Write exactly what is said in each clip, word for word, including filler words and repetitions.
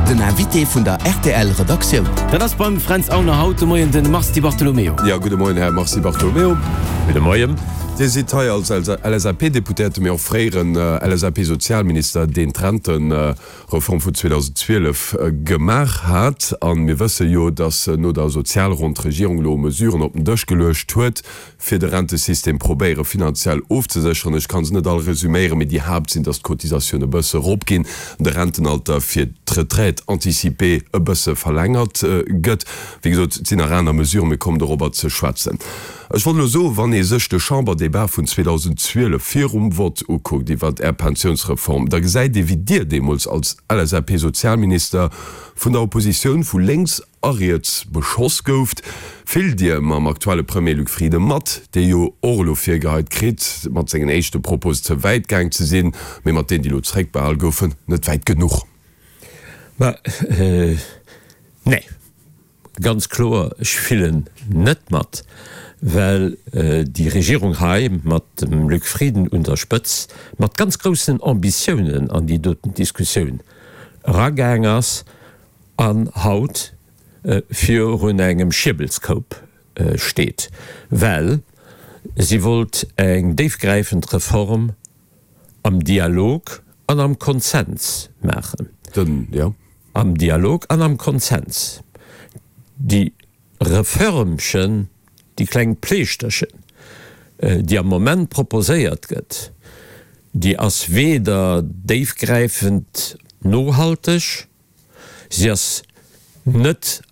Den Invité vun der R T L Redaktioun. Dat ass beim Fränz Aulner haut de Moien de Mars Di Bartolomeo. Jo, gudde Moien, Här Mars Di Bartolomeo. Gudde Moien. Dir sidd hei als L S A P-Deputéierte, mee och fréieren L S A P-Sozialminister, deen d'Rentereform vun zweedausendzwielef gemaach hat. A mir wësse jo, datt no der Sozialronn d'Regierung elo Mesuren op den Dësch geluecht huet, fir de Rentesystem probéiere finanziell ofzesécheren. Ech ka se net all resüméieren, mee déi Haapt sinn, datt d'Cotisatioune bësse eropginn, de Rentenalter fir d'Retraite anticipée e bësse verlängert gëtt. Wéi gesot, et sinn nach aner Mesuren, mir kommen dorobber ze schwätzen. Ech wollt elo soen, wann ee sech de Chamberdebat vun zweedausendzwielef virum Vott ukuckt iwwert Är Pensiounsreform, da gesäit ee wéi Dir deemools als L S A P-Sozialminister vun der Oppositioun vu lénks a riets beschoss gouft. Fillt Dir mam aktuelle Premier Luc Frieden mat, dee jo och elo virgeheit kritt, mat sengen éischte Proposen ze wäit gaang ze sinn, mee mat deenen, déi elo zeréckbehal goufen, net wäit genuch? Ma nee, ganz kloer, ech fillen net mat, well déi Regierung hei mat dem Luc Frieden un der Spëtz mat ganz groussen Ambitiounen an déi doten Diskussioun eragaang ass an haut virun engem Schierbelskoup steet, well si wollt eng déifgräifend Reform am Dialog an am Konsens maachen. Den, ja. Am Dialog an am Konsens. Déi Reförmchen, déi kleng Pleeschterchen, déi am Moment proposéiert gëtt, déi ass weder déifgräifend nohalteg, si ass net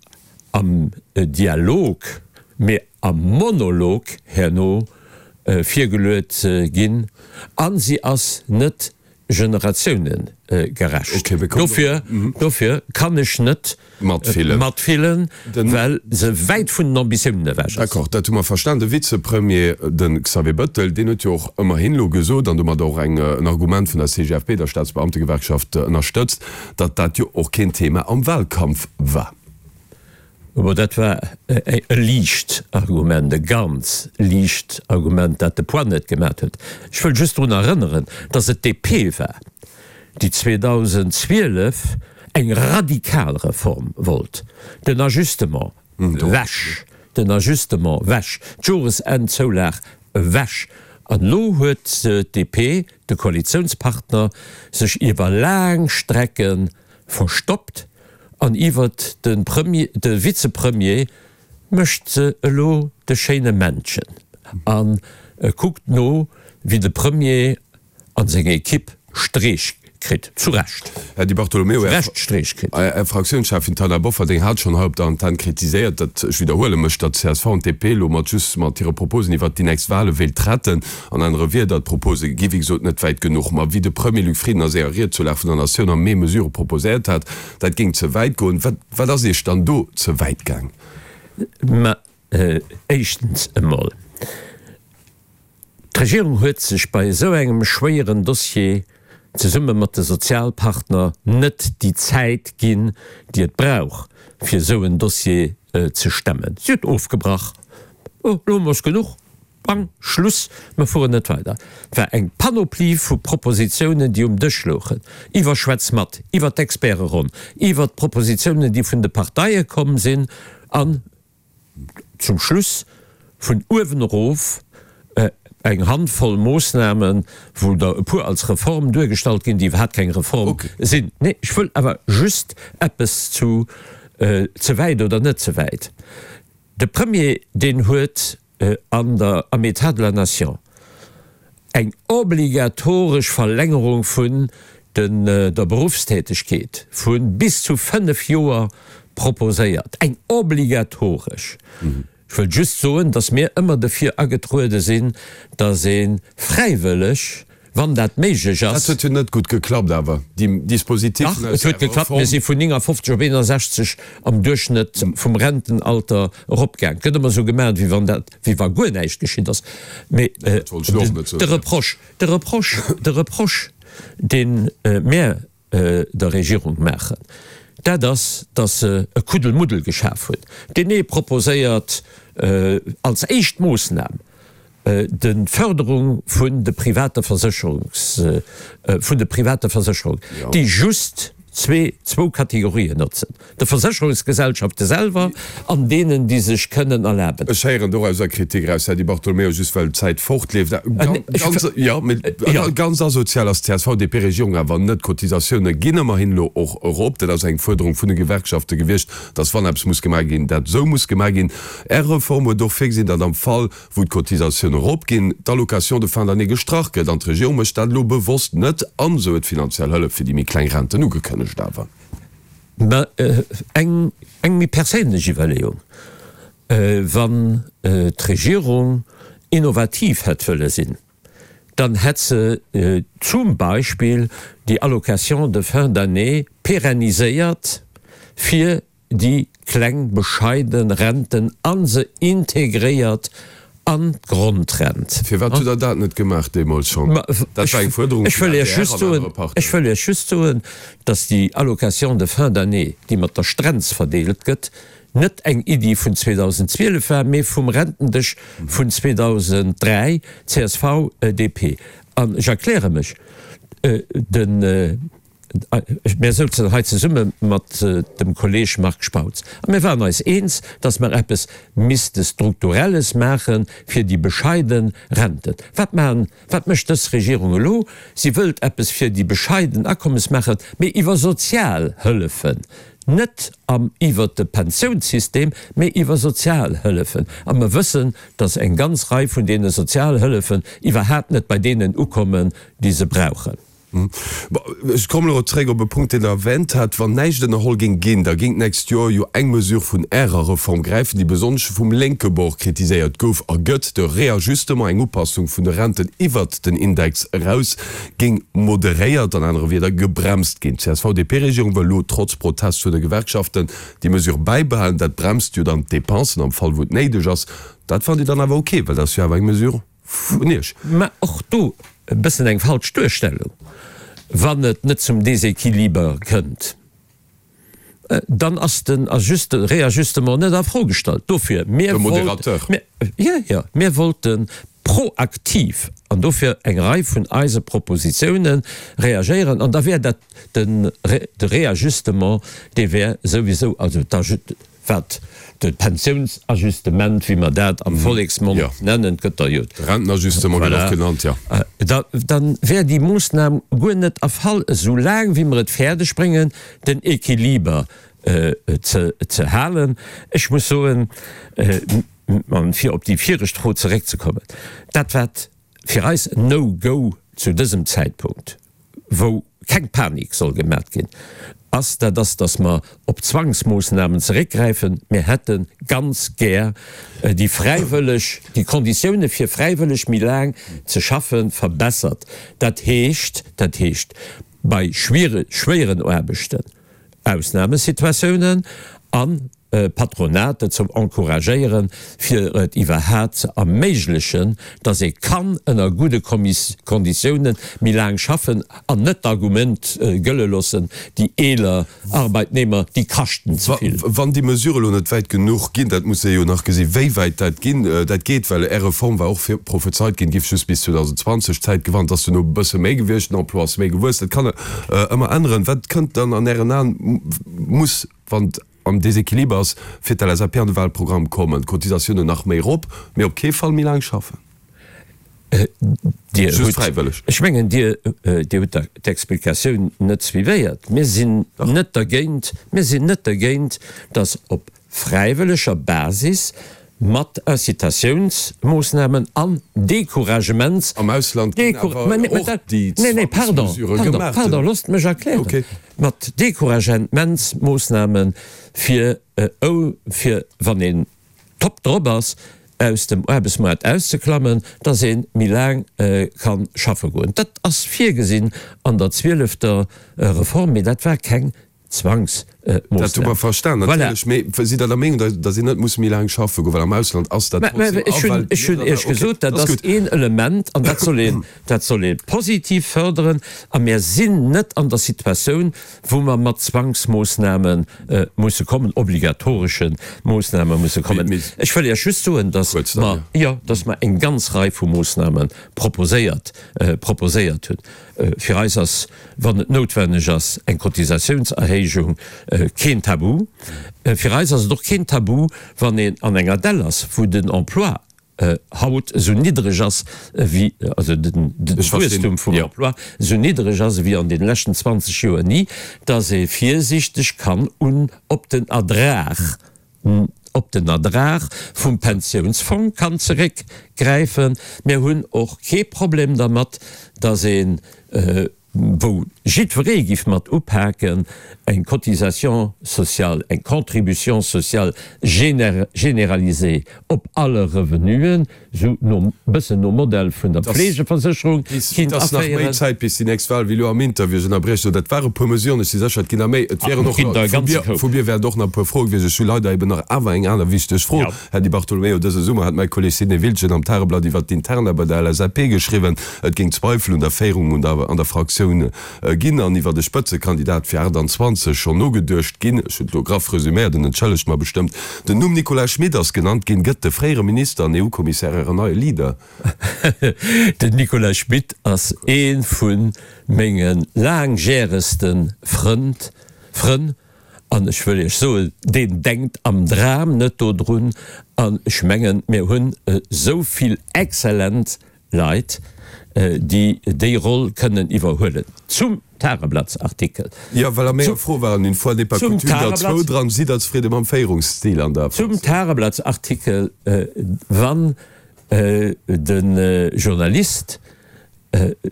am Dialog, mee am Monolog herno virgeluet ginn a si ass net generatiounegerecht. Dofir, dofir kann ech net matfillen, matfillen, well se wäit vun den Ambitiounen ewech ass. D'accord, dat hu mer verstan. De Vizepremier, de Xavier Bettel, deen huet jo och ëmmerhin elo gesot, an domat och eng, en Argument vun der C G F P, der Staatsbeamtegewerkschaft, ënnerstëtzt, datt dat jo och keen Thema am Wahlkampf war. Bon, dat war e liicht Argument, e ganz liicht Argument, dat de Poids net gemat huet. Ech wëll just drun erënneren, datt et d'D P war, déi zweedausendzwielef eng radikal Reform wollt, den Ajustement ewech, den Ajustement ewech, d'Joresennzoulag ewech. An elo huet d'D P, de Koalitiounspartner, sech iwwer laang Strecke verstoppt an iwwert de Premier, de Vizepremier mécht se elo de schéine Männchen a kuckt no, wéi de Premier an seng Ekipp Streech kritt, zu Recht. Här Di Bartolomeo, Zu Recht Streech kritt. Är Fraktiounscheffin Taina Bofferding hat schonn hei op der Antenn kritiséiert, datt, ech widderhuele mech, datt C S V an D P elo mat just mat hire Proposen iwwert déi nächst Wahle wéilt retten. An anere Wierder, d'Propose gi wéi gesot net wäit genuch. Ma wéi de Premier Luc Frieden a senger Ried zur Lag vun der Natioun am Mee Mesure proposéiert hat, dat géing ze wäit goen. Wat, wat ass Iech dann do ze wäit gaang? Ma éischtens emol, d'Regierung huet sech bei esou engem schwéieren Dossier zesumme mat de Sozialpartner net déi Zäit ginn, déi et brauch, fir esou en Dossier ze stemmen. Si huet ofgebrach, Oh, elo hu mer es genuch, bang, Schluss, mer fueren net weider. Et war eng Panoplie vu Propositionen, déi um Dësch louchen, iwwer Schwätz mat, iwwer d'Experteronn, iwwer d'Propositionen, déi vun de Parteie komm sinn, an zum Schluss vun uewen erof eng Handvoll Moossnamen, wou der e puer als Reform duergestallt ginn, déi iwwerhaapt keng Reform sinn. Nee, ech wëll awer just eppes zu ze wäit oder net ze wäit. De Premier, deen huet an der, am État de la Nation eng obligatoresch Verlängerung vun den, der Berufstätigkeet vu bis zu fënnef Joer proposéiert. Eng obligatoresch. Ech wëll just soen, dass mir ëmmer derfir agetruede sinn, dass ee fräiwëlleg, wann dat méiglech Dat ass. huet jo net gutt geklappt awer, déi Dispositif Dach, et huet geklappt. Mir si vun néngafofzeg op eenasechzeg am Duerchschnëtt vum Rentenalter eropgaang. Et gëtt ëmmer esou gemaach, wéi wann dat, wéi wa guer näischt geschitt ass. Mee Dat wollt ech elo och net soen. de Reproche, de Reproche, de Reproche, dee mir der Regierung maachen, dat ass, dass se e Kuddelmuddel geschaf huet, deen ee proposéiert als éischt Moossnam d'Fërderung vun de private Versécherungs, vun de private Versécherungen, déi just zwee, zwou Kategorien notzen, de Versécherungsgesellschafte selwer an deenen, déi sech kënnen erlaben. Ech héieren dorauser Kritik eraus, Här Di Bartolomeo, just well d'Zäit fortleeft. Ganz, jo, mee ganz asozial ass d'CSV-DP-Regierung awer net. D'Cotisatioune ginn ëmmerhin elo och erop. Dat ass eng Fuerderung vun de Gewerkschafte gewiescht, datt wann eppes muss gemaach ginn, dat esou muss gemaach ginn. Är Reform huet och virgesinn, datt am Fall, wou d'Cotisatioune eropginn, d'Allocation de fin d'année gestrach gëtt. An d'Regierung mécht dat elo bewosst net an se huet finanziell Hëllef fir déi méi kleng Renten ugekënnegt. Awer. Mä eng eng méi perséinlech Iwwerleeung, Wann d'Regierung innovativ hätt wëlle sinn, dann hätt se zum Beispill déi Allocation de fin d'année pérenniséiert fir déi kleng bescheiden Renten a se integréiert an d'Grondrent. Firwat hutt Der dat net gemaach deemools schonn? Dat war eng Fuerderung vun der adr an anere Parteien. Ech wëll Iech just soen, datt déi Allocation de fin d'année, déi mat der Strenz verdeelt gëtt, net eng Iddi vun zweedausendzwielef war, mee vum Rentendesch vun zweedausenddräi, csv, D P. An ech erkläre mech, Den. Mir souzen hei zesumme mat dem Kolleeg Marc Spautz a mir waren eis eens, dass mer eppes misste Strukturelles maache fir déi bescheide Renten. Wat maachen, wat mécht dës Regierung elo? Si wëllt eppes fir déi bescheiden Akommes maachen, mee iwwer Sozialhëllefen, net am iwwert de Pensiounssystem, mee iwwer Sozialhëllefen. A mer wëssen, dass eng ganz Rei vun deene Sozialhëllefen iwwerhaapt net bei deenen ukommen, déi se brauchen. Ech kommen elo zréck op e Punkt, deen Der erwänt hat. Wann näischt ënnerholl géing ginn, da géing d'nächst Joer jo eng Mesure vun Ärer Reform gräifen, déi besonnesch vum lénke Bord kritiséiert gouf a gëtt, de Réajustement, eng Upassung vun de Renten iwwert den Index eraus, géing moderéiert, an anere Wierder gebremst ginn. D'CSV-DP-Regierung wëll elo trotz Protest vun de Gewerkschaften déi Mesure bäibehalen. Dat bremst jo dann d'Depensen am Fall, wou et néideg ass. Dat fannt Dir dann awer ok, well dat ass jo awer eng Mesure vun Iech. Mä och do e bëssen eng falsch Duerstellung. Wann et net zum Déséquiliber kënnt, dann ass den Réajustement net a Fro gestallt. Dofir, mir wollten, jo, jo, mir wollte proaktiv, an dofir eng Rei vun eise Propositionen, reagéieren, an da wär dat de Réajustement, dee wär souwisou, also wat de Pensiounsajustement, wéi mer dat am Volleksmond nennen, gëtt der jo. Rentenajustement gëtt och genannt, jo. Da wär déi Moossnam guer net erfall, esou laang wéi mer et fäerdeg bréngen, den Equiliber ze halen. Ech muss soen, fir op déi viregt Fro zeréckzekommen, dat wat fir eis en No-Go zu dësem Zäitpunkt, wou keng Panik soll gemat ginn, ass, dat ass, dass mer op Zwangsmoossnamen zeréckgräifen. Mir hätte ganz gär déi fräiwëlleg, déi Konditioune fir fräiwëlleg méi laang ze schaffe verbessert. Dat heescht, dat heescht bei schwéieren Aarbechten Ausnamesituatiounen an Patronat dozou encouragéieren, fir et iwwerhaat ze erméiglechen, dass ee kann ënner gudde Konditiounen méi laang schaffen an net d'Argument gëlle loossen, déi eeler Arbeitnehmer, déi kaschten ze vill. Wann déi Mesure elo net wäit genuch ginn, dat muss ee jo nach gesinn, wéi wäit dat ginn, dat geet, well Är Reform war och vir prophezeit ginn, giff just bis zweedausendzwanzeg Zäit gewannt, ass duerno e bësse méi gewiescht, den Emploi ass méi gewuess, dat kann ëmmer änneren. Wat kënnt dann an Ären Aen, muss, wann am Déséquiliber ass, fir d'L S A P an de Wahlprogramm kommen, d'Cotisatiounen nach méi erop, mee op kee Fall méi laang schaffen. Dir hutt, ech mengen, Dir, Dir hutt d'Explikatioun net suivéiert. Mir sinn net dergéint, mir sinn net dergéint, datt op fräiwëlleger Basis mat Incitatiounsmoossnamen an Decouragements. Am Ausland ginn awer och déi Zwangsmesurë gemaach. Pardon, loosst mech erklären. Mat Decouragementsmoossname fir, fir wann een top drop ass, aus dem Aarbechtsmaart auszeklammen, dass ee méi laang ka schaffe goen. Dat ass virgesinn an der zwielefter Reform, mee dat war keng Zwangsmoossnam. Dat hu Moossnam. mer verstan, Voilà. natierlech. Mee sidd Der der Meenung, datt datt een net muss méi laang schaffe goen, well am Ausland ass dat Mä, mä trotzdem ech a hunn, well ech hunn jidder, Iech okay, gesot, dat dat ass ass gutt. een Element an dat soll een, dat soll ee positiv förderen. A mir sinn net an der Situatioun, wou mer mat Zwangsmoossname musse kommen, obligatoresche Moossname musse Mee, kommen. mee Ech wëll Iech just soen, datt kuerz dann, mer, jo. jo, datt mer eng ganz Rei vu Moossname proposéiert, proposéiert hunn. Fir eis ass, wann et noutwenneg ass, eng Cotisatiounserhéijung keen Tabu. Fir eis ass et och keen Tabu, wann een an enger Dell ass, wou den Emploi haut esou niddreg ass wéi, also den Wuesstum vum Emploi esou niddreg ass ewéi an deene leschten zwanzeg Joer ni, dass ee virsiichteg kann un op den Ertrag, op den Ertrag vum Pensiounsfong kann zeréckgräifen. Mir hunn och kee Problem dermat, dass een, wou jiddweree giff mat upaken, eng Cotisation sociale, eng Contribution sociale généralisée op alle Revenuen, esou nom, bëssen nom Modell vun der Fleegeversécherung, Et kinnt ass nach méi aféieren. Zäit bis déi nächst Wahl, wéi elo am Interview. Ech ënnerbrieche elo, dat ware puer Mesuren, ech si sécher, et ginn der méi. Et wieren Et och ginn nach, der e vu ganze mir, Koup. vu mir wäert och nach e puer Froe gewiescht. Ech hu leider eben nach awer eng aner wichteg Fro, Här Di Bartolomeo. Dëse Summer hat mäi Kolleg Sidney Wiltgen am Tageblatt iwwert d'Interna bei der L S A P geschriwwen, et géing Zweifel un der Féierung un der, an der Fraktioun ginn an iwwert e Spëtzekandidat fir achtanzwanzeg schonn nogeduecht ginn. Ech hunn et elo graff resüméiert, en entschëllegt mer bestëmmt. Den Numm Nicolas Schmit ass genannt ginn. Gëtt de fréiere Minister an E U-Kommissär Ären neie Leader? Den Nicolas Schmit ass ee vu menge laangjäregste Frënd, Frënn, an ech wëll Iech soen, deen denkt am Dram net dodrun. An ech mengen, mir hunn esou vill exzellent Leit, déi déi Roll kënnen iwwerhuelen. Zum Tageblattsartikel. Jo, well a menger Fro waren, une fois n'est pas Zum coutume, der zwou Tageblatt. dran. Sidd Der zefridde mam Féierungsstil an der Zum Fraktioun? Tageblattsartikel, Wann de Journalist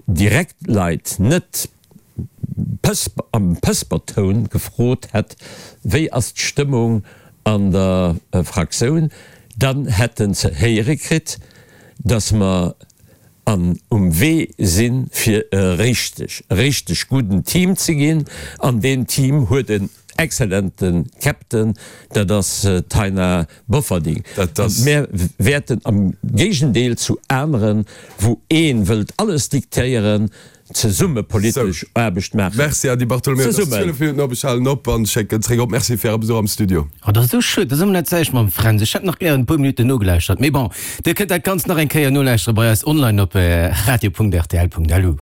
direkt Leit net Pësper, am Pëspertoun gefrot hätt, wéi ass d'Stëmmung an der Fraktioun, dann hätt en ze héiere kritt, dass mer an um Wee sinn, fir e richteg, richteg gudden Team ze ginn. An deen Team huet en exzellente Captain, dat ass d'Taina Bofferding. Dat ass. Mir wäerten am Géigendeel zu aneren, wou ee wëllt alles diktéieren, zesumme politesch Sou. Aarbecht maachen. Merci, Här Di Bartolomeo. Et ass Zesummen. zwielef Minutten op. Ech halen op an schécken zréck op. Merci fir Äre Besuch am Studio. Oh, dat ass esou schued, dass ëmmer net Zäit mam Fränz. Ech hätt nach gären e puer Minutten nogelauschtert. Mee bon, Dir kënnt dat Ganzt nach eng Kéier nolauschteren bei eis online op radio punkt rtl punkt lu.